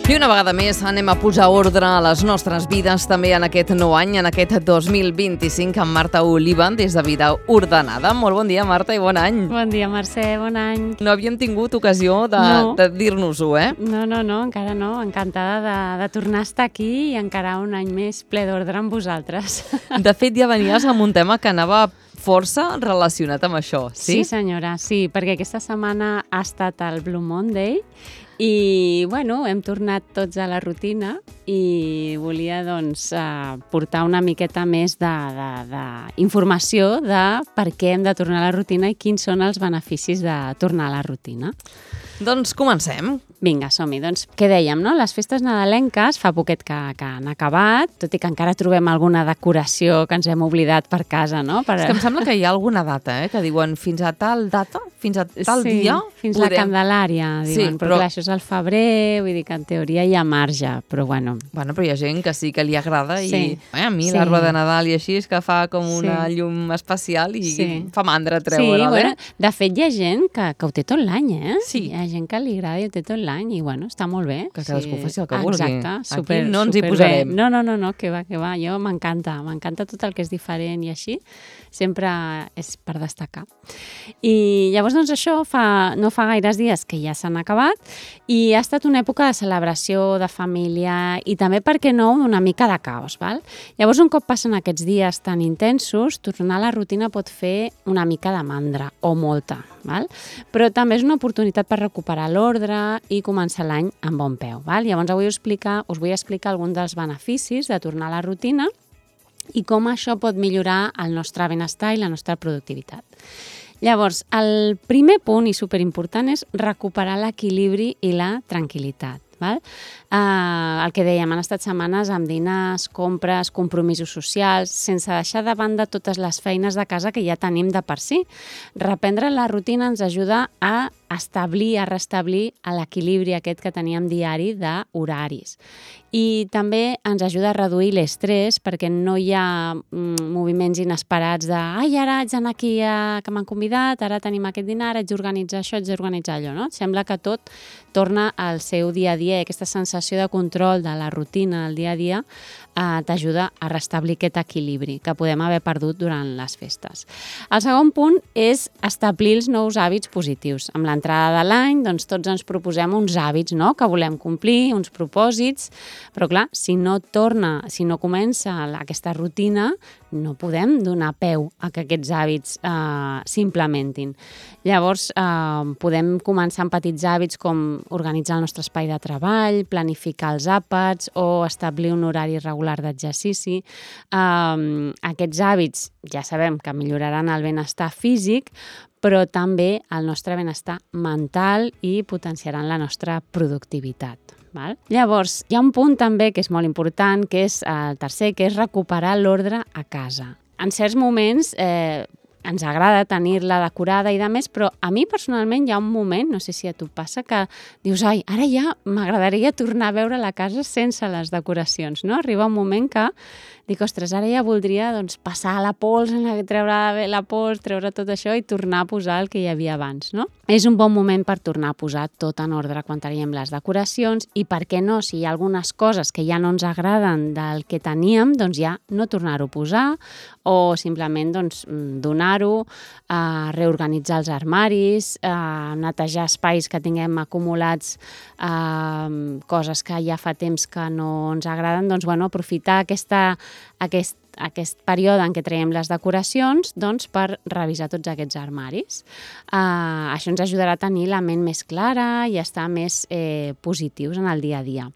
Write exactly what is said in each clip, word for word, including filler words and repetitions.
I una vegada més anem a posar ordre a les nostres vides també en aquest nou any, en aquest dos mil vint-i-cinc, amb Marta Oliva, des de Vida Ordenada. Molt bon dia, Marta, i bon any. Bon dia, Mercè, bon any. No havíem tingut ocasió de, no. de dir-nos-ho, eh? No, no, no, encara no. Encantada de, de tornar a estar aquí i encarar un any més ple d'ordre amb vosaltres. De fet, ja venies amb un tema que anava força relacionat amb això, sí? Sí, senyora, sí, perquè aquesta setmana ha estat el Blue Monday i, bueno, hem tornat tots a la rutina i volia, doncs, eh, portar una miqueta més d'informació de, de, de per què hem de tornar a la rutina i quins són els beneficis de tornar a la rutina. Doncs comencem. Vinga, som-hi. Doncs, què dèiem, no? Les festes nadalenques fa poquet que, que han acabat, tot i que encara trobem alguna decoració que ens hem oblidat per casa, no? Per... És que em sembla que hi ha alguna data, eh? Que diuen fins a tal data, fins a tal sí, dia... fins podem... la Candelària, diuen. Sí, però, però clar, això és al febrer, vull dir que en teoria hi ha marge, però bueno. Bueno, però hi ha gent que sí que li agrada i sí. eh, a mi sí. l'arbre de Nadal i així és que fa com una sí. llum especial i sí. fa mandra treure'l, sí, eh? Bueno, de fet, hi ha gent que, que ho té tot l'any, eh? Sí. Hi ha gent que li agrada i ho té tot l'any i, bueno, està molt bé. Que cadascú sí. faci el que vulgui. Exacte, super, aquí no ens hi superbé. posarem. No, no, no, no, que va, que va. Jo m'encanta, m'encanta tot el que és diferent i així. Sempre és per destacar. I llavors, doncs, això fa, no fa gaires dies que ja s'han acabat i ha estat una època de celebració, de família i també, per què no, una mica de caos, val? Llavors, un cop passen aquests dies tan intensos, tornar a la rutina pot fer una mica de mandra, o molta, val? Però també és una oportunitat per recuperar l'ordre i començar l'any amb bon peu, val? Llavors, avui us, explicar, us vull explicar alguns dels beneficis de tornar a la rutina i com això pot millorar el nostre benestar i la nostra productivitat. Llavors, el primer punt i superimportant és recuperar l'equilibri i la tranquil·litat. Val? Uh, el que dèiem, han estat setmanes amb dinars, compres, compromisos socials, sense deixar de banda totes les feines de casa que ja tenim de per si. Reprendre la rutina ens ajuda a establir, a restablir l'equilibri aquest que teníem diari d'horaris. I també ens ajuda a reduir l'estrès perquè no hi ha mm, moviments inesperats de ai, ara haig d'anar aquí a, que m'han convidat, ara tenim aquest dinar, haig d'organitzar això, haig d'organitzar allò, no? Sembla que tot torna al seu dia a dia i aquesta sensació de control de la rutina del dia a dia eh, t'ajuda a restablir aquest equilibri que podem haver perdut durant les festes. El segon punt és establir els nous hàbits positius. Amb l'entrada de l'any, doncs tots ens proposem uns hàbits, no?, que volem complir, uns propòsits, però clar, si no torna, si no comença aquesta rutina, no podem donar peu a que aquests hàbits eh, s'implementin. Llavors, eh, podem començar amb petits hàbits com organitzar el nostre espai de treball, planificar els àpats o establir un horari regular d'exercici. Eh, aquests hàbits ja sabem que milloraran el benestar físic, però també el nostre benestar mental i potenciaran la nostra productivitat. Val? Llavors, hi ha un punt també que és molt important, que és el tercer, que és recuperar l'ordre a casa. En certs moments eh, ens agrada tenir-la decorada i de més, però a mi personalment hi ha un moment, no sé si a tu passa, que dius, ai, ara ja m'agradaria tornar a veure la casa sense les decoracions, no? Arriba un moment que dic, ostres, ara ja voldria doncs, passar la pols, treure la pols, treure tot això i tornar a posar el que hi havia abans, no? És un bon moment per tornar a posar tot en ordre quan teníem les decoracions i, per què no, si hi ha algunes coses que ja no ens agraden del que teníem, doncs ja no tornar-ho a posar o simplement doncs, donar-ho, eh, reorganitzar els armaris, eh, netejar espais que tinguem acumulats, eh, coses que ja fa temps que no ens agraden, doncs bueno, aprofitar aquesta Aquest, aquest període en què traiem les decoracions doncs, per revisar tots aquests armaris. Uh, això ens ajudarà a tenir la ment més clara i estar més eh, positius en el dia a dia.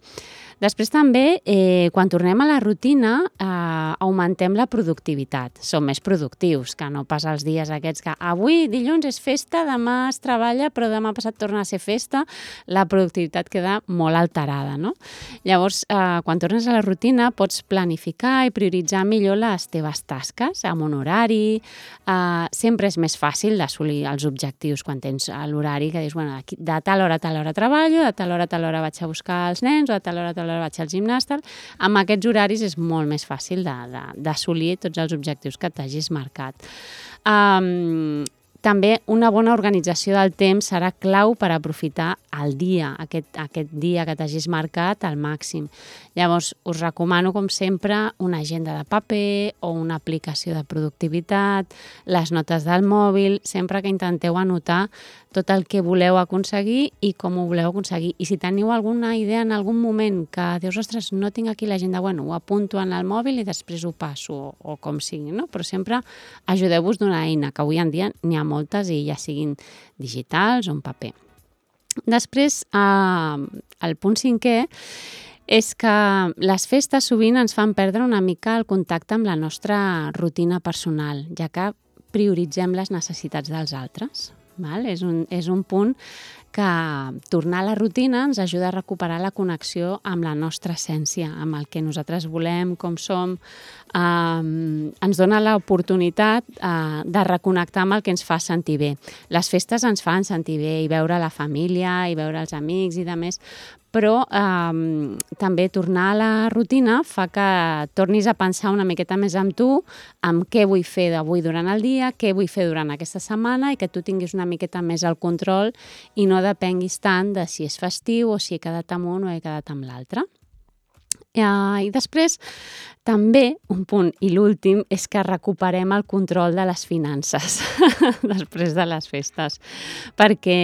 Després també, eh, quan tornem a la rutina, eh, augmentem la productivitat. Som més productius, que no pas els dies aquests que avui dilluns és festa, demà es treballa, però demà passat torna a ser festa. La productivitat queda molt alterada, no? Llavors, eh, quan tornes a la rutina, pots planificar i prioritzar millor les teves tasques amb un horari. Eh, sempre és més fàcil d'assolir els objectius quan tens l'horari que dius, bueno, de tal hora a tal hora treballo, de tal hora a tal hora vaig a buscar els nens, o de tal hora a tal hora vaig al gimnàs, tal. Amb aquests horaris és molt més fàcil d'assolir tots els objectius que t'hagis marcat. Um, també una bona organització del temps serà clau per aprofitar el dia, aquest, aquest dia que t'hagis marcat al màxim. Llavors, us recomano, com sempre, una agenda de paper o una aplicació de productivitat, les notes del mòbil, sempre que intenteu anotar tot el que voleu aconseguir i com ho voleu aconseguir. I si teniu alguna idea en algun moment que dius, ostres, no tinc aquí l'agenda, bueno, ho apunto en el mòbil i després ho passo, o, o com sigui, no? Però sempre ajudeu-vos d'una eina, que avui en dia n'hi ha moltes i ja siguin digitals o en paper. Després, eh, el punt cinquè és que les festes sovint ens fan perdre una mica el contacte amb la nostra rutina personal, ja que prioritzem les necessitats dels altres. Val? És un, és un punt que tornar a la rutina ens ajuda a recuperar la connexió amb la nostra essència, amb el que nosaltres volem, com som. Eh, ens dona l'oportunitat eh, de reconnectar amb el que ens fa sentir bé. Les festes ens fan sentir bé, i veure la família, i veure els amics i de més, però eh, també tornar a la rutina fa que tornis a pensar una miqueta més amb tu, amb què vull fer d'avui durant el dia, què vull fer durant aquesta setmana, i que tu tinguis una miqueta més el control i no depenguis tant de si és festiu o si he quedat amb un o he quedat amb l'altre. Uh, I després, també, un punt, i l'últim, és que recuperem el control de les finances després de les festes, perquè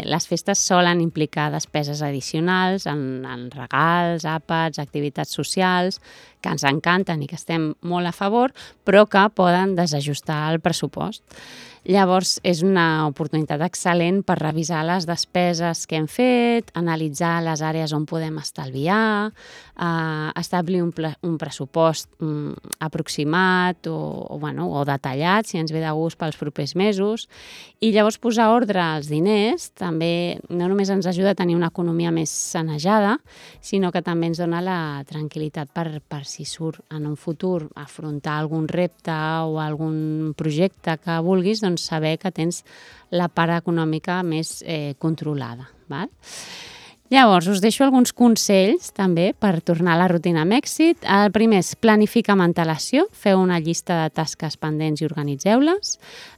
les festes solen implicar despeses addicionals en, en regals, àpats, activitats socials, que ens encanten i que estem molt a favor, però que poden desajustar el pressupost. Llavors, és una oportunitat excel·lent per revisar les despeses que hem fet, analitzar les àrees on podem estalviar, eh, establir un, un pressupost mm, aproximat o, o, bueno, o detallat, si ens ve de gust pels propers mesos. I llavors posar ordre als diners també no només ens ajuda a tenir una economia més sanejada, sinó que també ens dona la tranquil·litat per, per si surt en un futur afrontar algun repte o algun projecte que vulguis, doncs saber que tens la part econòmica més eh, controlada. Val? Llavors, us deixo alguns consells també per tornar a la rutina amb èxit. El primer és planificar amb antelació, feu una llista de tasques pendents i organitzeu-les.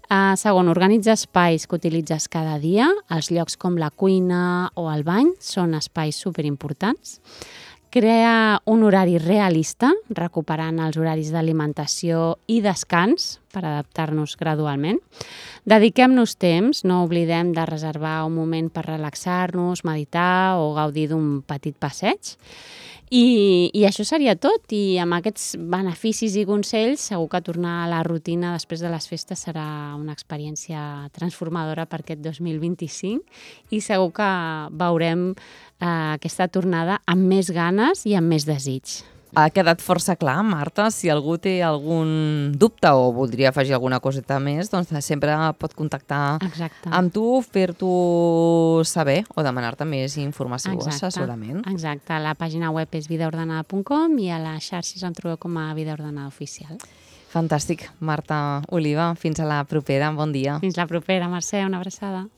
Uh, segon, organitza espais que utilitzes cada dia. Els llocs com la cuina o el bany són espais superimportants. Crea un horari realista, recuperant els horaris d'alimentació i descans per adaptar-nos gradualment. Dediquem-nos temps, no oblidem de reservar un moment per relaxar-nos, meditar o gaudir d'un petit passeig. I, I això seria tot, i amb aquests beneficis i consells segur que tornar a la rutina després de les festes serà una experiència transformadora per aquest dos mil vint-i-cinc i segur que veurem eh, aquesta tornada amb més ganes i amb més desig. Ha quedat força clar, Marta. Si algú té algun dubte o voldria afegir alguna coseta més, doncs sempre pot contactar Exacte. amb tu, fer-t'ho saber o demanar-te més informació o assessorament. Exacte. La pàgina web és vidaordenada punt com i a les xarxes em trobeu com a Vida Ordenada Oficial. Fantàstic. Marta Oliva, fins a la propera. Bon dia. Fins la propera, Mercè. Una abraçada.